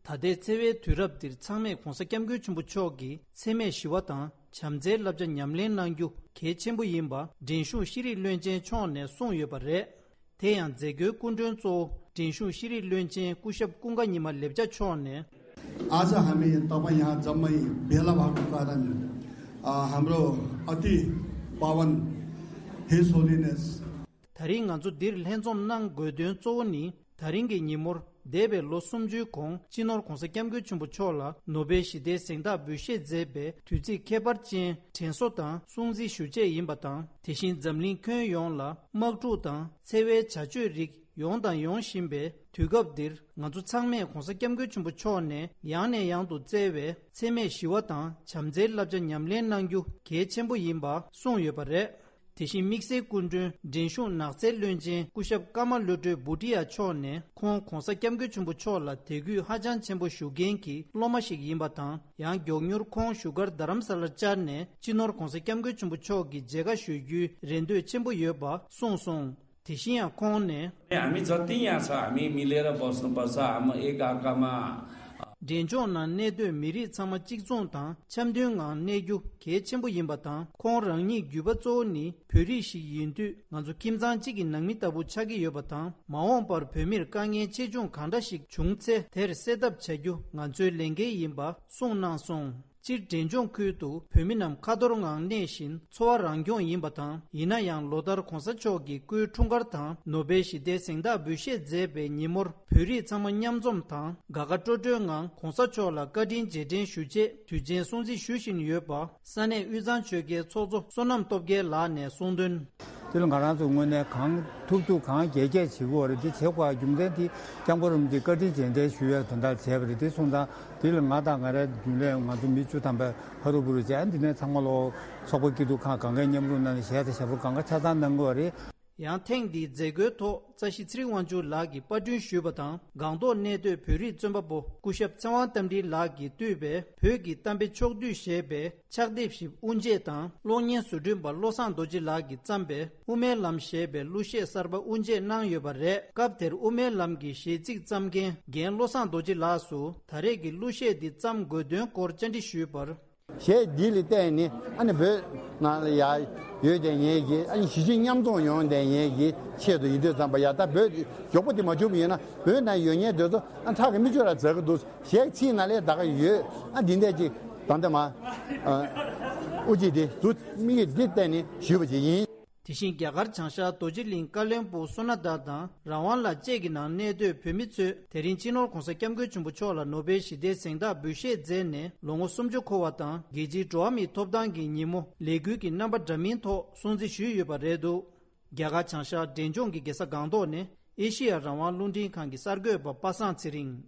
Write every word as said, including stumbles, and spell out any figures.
ད་ལྟའི་འཚེ་བའི་དུས་རབས་འདིར་ཚང་མས་གོང་ས་སྐྱབས་མགོན་ཆེན་པོ་མཆོག་གི་འཚེ་མེད་ཞི་བ་དང་བྱམས་བརྩེའི་བསླབ་བྱ་ཉམས་ལེན་གནང་རྒྱུ་གལ་ཆེན་པོ་ཡིན་པ་འགྲན་ཞུགས་ཤེས་རིག་བློན་ཆེན་མཆོག་ནས་གསུངས་ཡོད་པ་རེད། དེ་ཡང་མཛད་སྒོའི་སྐུ་མགྲོན་གཙོ་བོ་འགྲན་ཞུགས་ཤེས་རིག་བློན་ཆེན་སྐུ་ཞབས་ཀུན་དགའ་ཉི་མ་ལེགས་བྱ་མཆོག་ནས། आज हामी तपाईँ यहाँ जम्मै भेला भएको कारण, अ, हाम्रो अति पावन, His Holiness, ད་རིང་ང་ཚོ་འདིར་ལྷན་འཛོམས་གནང་དགོས་དོན་གཙོ་བོ་ནི། ད་རིང་གི་ཉིན་མོར་འདས་པའི་ལོ་སུམ་ཅུའི་གོང་སྤྱི་ནོར་༧གོང་ས་༧སྐྱབས་མགོན་ཆེན་པོ་མཆོག་ལ་ནོ་བེལ་ཞི་བདེའི་གཟེངས་རྟགས་འབུལ་བཞེས་མཛད་པའི་དུས་ཚིགས་ཁྱད་པར་ཅན་དྲན་གསོ་དང་སྲུང་བརྩི་ཞུ་ཆེད་ཡིན་པ་དང་། དེ་བཞིན་འཛམ་གླིང་ཁྱོན་ཡོངས་ལ་དམག་འཁྲུག་དང་འཚེ་བའི་བྱ་སྤྱོད་རིགས་ཡོང་དང་ཡོང་བཞིན་པའི་དུས་སྐབས་འདིར། ང་ཚོ་ཚང་མས་གོང་ས་སྐྱབས་མགོན་ཆེན་པོ་མཆོག་ནས་ཡང་ནས་ཡང་དུ་བསྩལ་བའི་འཚེ་མེད་ཞི་བ་དང་བྱམས་བརྩེའི་བསླབ་བྱ་ཉམས་ལེན་གནང་རྒྱུ་གལ་ཆེན་པོ་ཡིན་པ་གསུངས་ཡོད་པ་རེད། དེ་བཞིན་དམིགས་བསལ་སྐུ་མགྲོན་འགྲན་ཞུགས་ནགས་ཚལ་བློན་ཆེན་སྐུ་ཞབས་ཀརྨ་བློ་གྲོས་བྷུ་ཏི་ཡ་མཆོག་ནས་ཁོང་གོང་ས་སྐྱབས་མགོན་ཆེན་པོ་མཆོག་ལ་དད་གུས་ཧ་ཅང་ཆེན་པོ་ཞུ་མཁན་གྱི་སློབ་མ་ཞིག་ཡིན་པ་དང་། ཡང་མགྱོགས་མྱུར་ཁོང་བཞུགས་སྒར་རྡ་རམ་ས་ལར་བཅར་ནས་སྤྱི་ནོར་གོང་ས་སྐྱབས་མགོན་ཆེན་པོ་མཆོག་གི་མཇལ་ཁ་ཞུ་རྒྱུའི་རེ་འདོད་ཆེན་པོ་ཡོད་པ་གསུངས་སོང་། དེ་བཞིན་ཡང་ཁོང་ནས། हामी जति यहाँ छ, हामी मिलेर बस्नुपर्छ, हाम्रो एक अर्कामा। འབྲས་ལྗོངས་ནང་གནས་སྡོད་མི་རིགས་ཚང་མ་གཅིག་མཚུངས་དང་འཆམ་མཐུན་ངང་གནས་རྒྱུ་གལ་ཆེན་པོ་ཡིན་པ་དང་། ཁོང་རང་ཉིད་བརྒྱུད་པ་གཙོ་བོ་ནི་བོད་རིགས་ཤིག་ཡིན་དུས། ང་ཚོ་ཁྱིམ་ཚང་གཅིག་གི་ནང་མི་ལྟ་བུ་ཆགས་ཀྱི་ཡོད་པ་དང་། མ་འོངས་པར་བོད་མིར་དཀའ་ངལ་ཆེ་ཆུང་གང་འདྲ་ཞིག་བྱུང་ཚེ་དེར་སེལ་ཐབས་བྱ་རྒྱུ་ང་ཚོའི་ལས་འགན་ཡིན་པ་གསུངས་གནང་སོང་། སྤྱིར་འབྲས་ལྗོངས་ཁུལ་དུ་བོད་མི་རྣམས་ཁ་ཐོར་ངང་གནས་བཞིན་འཚོ་བ་རང་སྐྱོང་ཡིན་པ་དང་། ཡིན་ན་ཡང་ལོ་ལྟར་གོང་ས་མཆོག་གི་སྐུའི་འཁྲུངས་སྐར་དང་ནོ་བེལ་ཞི་བདེའི་གཟེངས་རྟགས་འབུལ་བཞེས་མཛད་པའི་ཉིན་མོར་བོད་རིགས་ཚང་མ་མཉམ་འཛོམས་དང་དགའ་དགའ་སྤྲོ་སྤྲོའི་ངང་གོང་ས་མཆོག་ལ་བཀའ་དྲིན་རྗེས་དྲན་ཞུ་ཆེད་དུས་ཆེན་སྲུང་བརྩི་ཞུ་བཞིན་ཡོད་པ་ས་གནས་དབུས་གཙང་ཆོལ་ཁའི་ཚོགས་གཙོ་བསོད་ནམས་སྟོབས་རྒྱལ་ལགས་ནས་གསུངས་དོན། དེ་ལ་ང་རང་ཚོ་དངོས་གནས་གང་ཐུབ་ཐུབ་གང་རྒྱས་རྒྱས་བྱེད་དགོས་རེད། འདི་བྱེད་དགོས་རྒྱུ་མཚན་དེ་སྐྱབས་མགོན་རིན་པོ་ཆེས་བཀའ་དྲིན་རྗེས་དྲན་ཞུ་ཡས་དོན་དག་བྱས་པ་རེད། དེ་སོང་ཙང་དེ་ལ་ང་དང་ང་རའི་རྒྱུན་ལས་ང་ཚོ་མི་བཅུ་ཐམ་པ་ཧ་རུ་བུ་རུ་བྱས། འདི་ནས་ཚང་མ་ལོ་ཚོགས་པ་སྐྱིད་སྡུག་ཁག་གང་གའི་མཉམ་རུབ་གནང་ནས་གཞས་དང་ཞབས་བྲོ་གང་ག་ཆ་ཚང་གནང་དགོས་རེད། ཡང་ཐེངས་འདིའི་མཛད་སྒོའི་ཐོག་རྩ་ཞིག་ཚེ་རིང་དབང་ཕྱུག་ལགས་ཀྱིས་པར་སྐྲུན་ཞུས་པ་དང་། སྒང་ཏོག་གནས་སྡོད་བོད་རིགས་རྩོམ་པ་པོ་སྐུ་ཞབས་ཚེ་དབང་རྟ་མགྲིན་ལགས་ཀྱིས་བཏུས་པའི་བོད་ཀྱི་གཏམ་དཔེ་ཕྱོགས་བསྡུས་ཞེས་པའི་ཕྱག་དེབ་ཞིག་དབུ་འབྱེད་དང་། གློག་བརྙན་བཟོ་སྐྲུན་པ་བློ་བཟང་རྡོ་རྗེ་ལགས་ཀྱིས་བརྩམས་པའི་དབུ་མའི་ལམ་ཞེས་པའི་གླུ་གཞས་གསར་པ་དབུ་འབྱེད་གནང་ཡོད་པ་རེད། སྐབས་དེར་དབུ་མའི་ལམ་གྱི་གཞས་ཚིག་བརྩམས་མཁན་རྒན་བློ་བཟང་རྡོ་རྗེ་ལགས་སུ་ད་རེས་ཀྱི་གླུ་གཞས་འདི་བརྩམས་དགོས་དོན་སྐོར་བཅར་འདྲི་ཞུས་པར། གཞས་འདི་ལ་བརྟེན་ནས་ཨ་ནི་བོད་ནང་ལ་ཡ་ཡོད་བསྡད་མཁན་གྱི་ཨ་ནི་གཞིས་བྱེས་མཉམ་འཛོམས་ཡོང་བསྡད་མཁན་གྱི་ཆེད་དུ་ཡིན་དུས་ཙམ་པ། ཡ་ད་བོད་མགྱོགས་པོ་དེ་མ་བྱུང་བ་ཡིན་ན་བོད་ནང་ཡོད་མཁན་དེ་ཚོ་ཨ་ཁྲག་གི་མིག་ཆུ་ར་འཛག་གི་འདུག་གཞས་ཚིག་ནང་ལས་ད་ག་ཡོད། ཨ་འདི་འདྲ་ཅིག་ད་ལྟ་མ་དབུ་འབྱེད་དེ་འདུག་དམིགས་ཡུལ་འདི་བརྟེན་ནས་ཞུས་པ་ཅིག་ཡིན། དེ་བཞིན་རྒྱ་གར་བྱང་ཤར་རྡོ་རྗེ་གླིང་བཀའ་བློན་སྦུག་བསོད་ནམས་དར་དང་རང་དབང་ལ་བཅས་ཀྱི་ནང་གནས་སྡོད་བོད་མི་ཚོས་དེ་རིང་སྤྱི་ནོར་༧གོང་ས་༧སྐྱབས་མགོན་ཆེན་པོ་མཆོག་ལ་ནོ་བེལ་ཞི་བདེའི་གཟེངས་རྟགས་འབུལ་བཞེས་མཛད་ནས་ལོ་ངོ་སུམ་ཅུ་འཁོར་བ་དང་། རྒྱལ་སྤྱིའི་འགྲོ་བ་མིའི་ཐོབ་ཐང་གི་ཉིན་མོ་ལས་འགུལ་གྱི་རྣམ་པ་འདྲ་མིན་ཐོག་སྲུང་བརྩི་ཞུས་ཡོད་པ་རེད་འདུག་རྒྱ་གར་བྱང་ཤར་འབྲས་ལྗོངས་ཀྱི་རྒྱལ་ས་སྒང་ཏོག་ནས་ཨེ་ཤི་ཡ་རང་དབང་རླུང་འཕྲིན་ཁང་གི་གསར་འགོད་པ་པ་སངས་ཚེ་རིང་།